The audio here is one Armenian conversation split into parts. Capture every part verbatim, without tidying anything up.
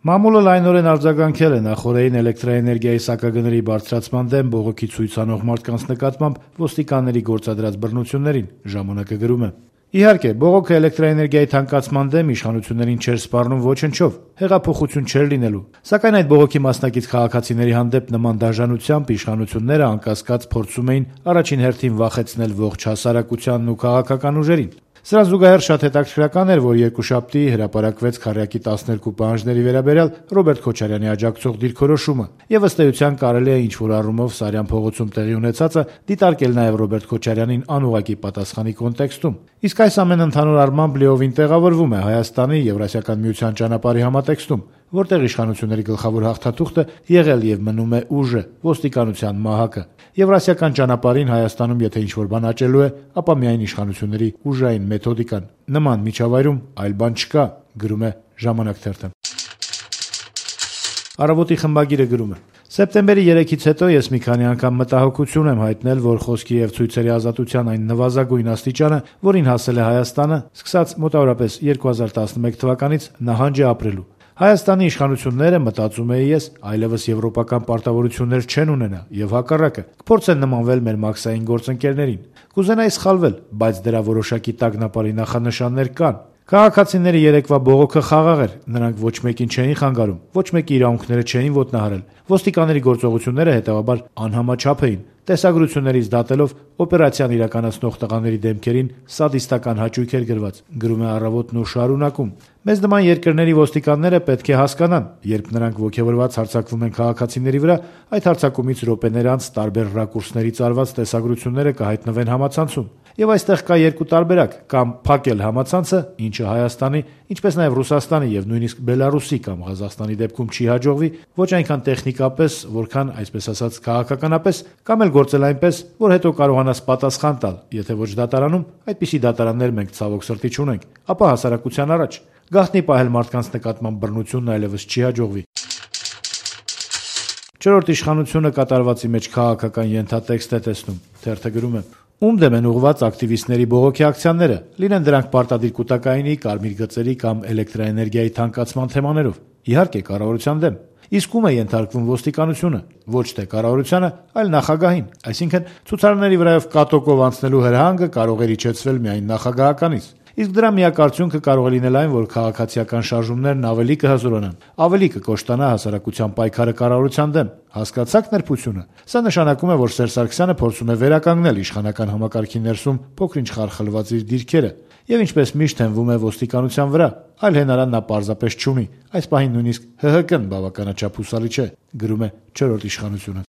Մամուլը լայնորեն արձագանքել է նախօրեին էլեկտրաէներգիայի սակագների բարձրացման դեմ բողոքի ցույց անող մարդկանց նկատմամբ ոստիկանների գործադրած բռնություններին, ժամանակը գրում է. Իհարկե, բողոքը էլեկտրաէներգիայի թանկացման դեմ իշխանություններին չէր սպառնում ոչնչով, հեղափոխություն չէր լինելու, սակայն այդ բողոքի մասնակից քաղաքացիների հանդեպ նման դաժանությամբ իշխանությունները անկասկած փորձում էին առաջին հերթին վախեցնել ողջ հասարակությանն ու քաղաքական ուժերին։ Սրան զուգահեռ շատ հետաքրքրական էր, որ երկուշաբթի հրապարակվեց քառյակի տասներկու պահանջների վերաբերյալ Ռոբերտ Քոչարյանի աջակցող դիրքորոշումը, եւ ըստ էության կարելի է ինչ-որ առումով Սարյան փողոցում տեղի ունեցածը դիտարկել նաեւ Ռոբերտ Քոչարյանին անուղղակի պատասխանի կոնտեքստում։ Իսկ այս ամենը ընդհանուր առմամբ լիովին տեղավորվում է Հայաստանի Եվրասիական միության ճանապարհի համատեքստում, որտեղ իշխանությունների գլխավոր հաղթաթուղթը եղել եւ մնում է ուժը, ոստիկանության մահակը։ Եվրասիական ճանապարհին Հայաստանում եթե ինչ-որ բան աճելու է, ապա միայն իշխանությունների ուժային մեթոդիկան։ Նման միջավայրում այլ բան չկա, գրում է Ժամանակ թերթը։ Առավոտի խմբագիրը գրում է. Սեպտեմբերի երեքից հետո ես մի քանի անգամ մտահոգություն եմ հայտնել, որ խոսքի եւ ցույցերի ազատության այն նվազագույն աստիճանը, որին հասել է Հայաստանը, սկսած մոտավորապես երկու հազար տասնմեկ թվականից նահանջ է ապրելու։ Հայաստանի իշխանությունները, մտածում էի ես, այլևս եվրոպական պարտավորություններ չեն ունենա եւ հակառակը կփորձեն նմանվել մեր մաքսային գործընկերներին։ Կուզենայի սխալվել, բայց դրա որոշակի տագնապարի նախանշաններ կան։ Քաղաքացիների երեկվա բողոքը խաղաղ էր, նրանք ոչ մեկին չէին խանգարում, ոչ մեկի իրավունքները չէին ոտնահարել։ Ոստիկանների գործողությունները հետեւաբար անհամաչափ էին։ Տեսագրություններից դատելով օպերացիան իրականացնող տղաների դեմքերին սադիստական հաճույք էր գրված, գրում է Առավոտն ու շարունակում. Մեզ նման երկրների ոստիկանները պետք է հասկանան, երբ նրանք ոգևորված հարձակվում են քաղաքացիների վրա, այդ հարձակումից րոպեներ անց տարբեր ռակուրսներից արված տեսագրությունները կհայտնվեն համացանցում։ Եվ այստեղ կա երկու տարբերակ՝ կամ փակել համացանցը, ինչը Հայաստանի, ինչպես նաև Ռուսաստանի եւ նույնիսկ Բելարուսի կամ Ղազախստանի դեպքում չի հաջողվի, ոչ այնքան տեխնիկապես, որքան այսպես ասած քաղաքականապես, կամ էլ գործել այնպես, որ հետո կարողանաս պատասխան տալ, եթե ոչ դատարանում, այդպիսի դատարաններ մենք ցավոք սրտի չունենք, ապա հասարակության առաջ գաղտնի պահել մարդկանց նկատմամբ բռնությունն այլևս չի հաջողվի։ Չորրորդ իշխանությունը կատարվածի մեջ քաղաքական ենթատեքստ է տեսնում, թերթը գրում է. Ում դեմ են ուղղված ակտիվիստների բողոքի ակցիաները, լինեն դրանք պարտադիր կուտակայինի, կարմիր գծերի կամ էլեկտրաէներգիայի թանկացման թեմաներով, իհարկե կառավարության դեմ։ Իսկ ում է ենթարկվում ոստիկանությունը, ոչ թե կառավարությանը, այլ նախագահին, այսինքն ցուցարարների վրայով կատոկով անցնելու հրահանգը կարող է իջեցվել միայն նախագահականից։ Իսկ դրա միակ արդյունքը կարող է լինել այն, որ քաղաքացիական շարժումներն ավելի կհզորանան, ավելի կկոշտանա հասարակության պայքարը կառավարության դեմ։ Հասկացա՞ք նրբությունը։ Սա նշանակում է, որ Սերժ Սարգսյանը փորձում է վերականգնել իշխանական համակարգի ներսում փոքր-ինչ խարխլված իր դիրքերը, եւ ինչպես միշտ հենվում է ոստիկանության վրա, այլ հենարան նա պարզապես չունի։ Այս պահին նույնիսկ Հ Հ Կն բավականաչափ հուսալի չէ, գրում է չորրորդ իշխանությունը։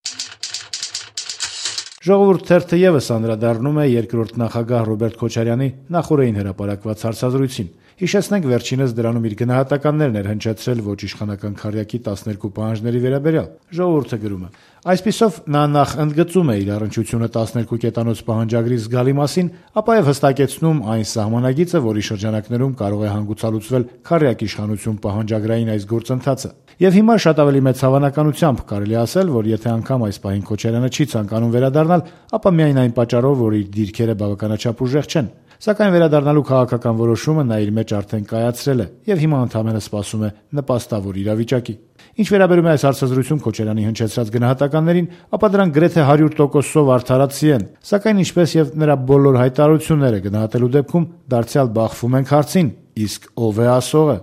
Ժողովուրդ թերթը եւս անդրադառնում է երկրորդ նախագահ Ռոբերտ Քոչարյանի նախօրեին հրապարակված հարցազրույցին։ Հիշեցնենք, վերջինս դրանում իր գնահատականներն էր հնչեցրել ոչ իշխանական քառյակի տասներկու պահանջների վերաբերյալ։ Ժողովուրդը գրում է. Այսպիսով նա նախ ընդգծում է իր առնչությունը տասներկու կետանոց պահանջագրի զգալի մասին, ապա եւ հստակեցնում այն սահմանագիծը, որի շրջանակներում կարող է հանգուցալուծվել քառյակ իշխանություն պահանջագրային այս գործընթացը։ Եվ հիմա շատ ավելի մեծ հավանականությամբ կարելի ասել, որ եթե անգամ այս պահին Քոչարյանը չի ցանկանում վերադառնալ, ապա միայն այն պատճառով, որ իր դիրքերը բավականաչափ ուժեղ չեն։ Սակայն վերադառնալու քաղաքական որոշումը նա իր մեջ արդեն կայացրել է եւ հիմա ընդհանրապես սպասում է նպաստավոր իրավիճակի։ Ինչ վերաբերում է այս հարցազրույցում Քոչարյանի հնչեցրած գնահատականներին, ապա դրանք գրեթե հարյուր տոկոսով արդարացի են, սակայն ինչպես եւ նրա բոլոր հայտարարությունները գնահատելու դեպքում դարձյալ բախվում ենք հարցին. իսկ ով է ասողը։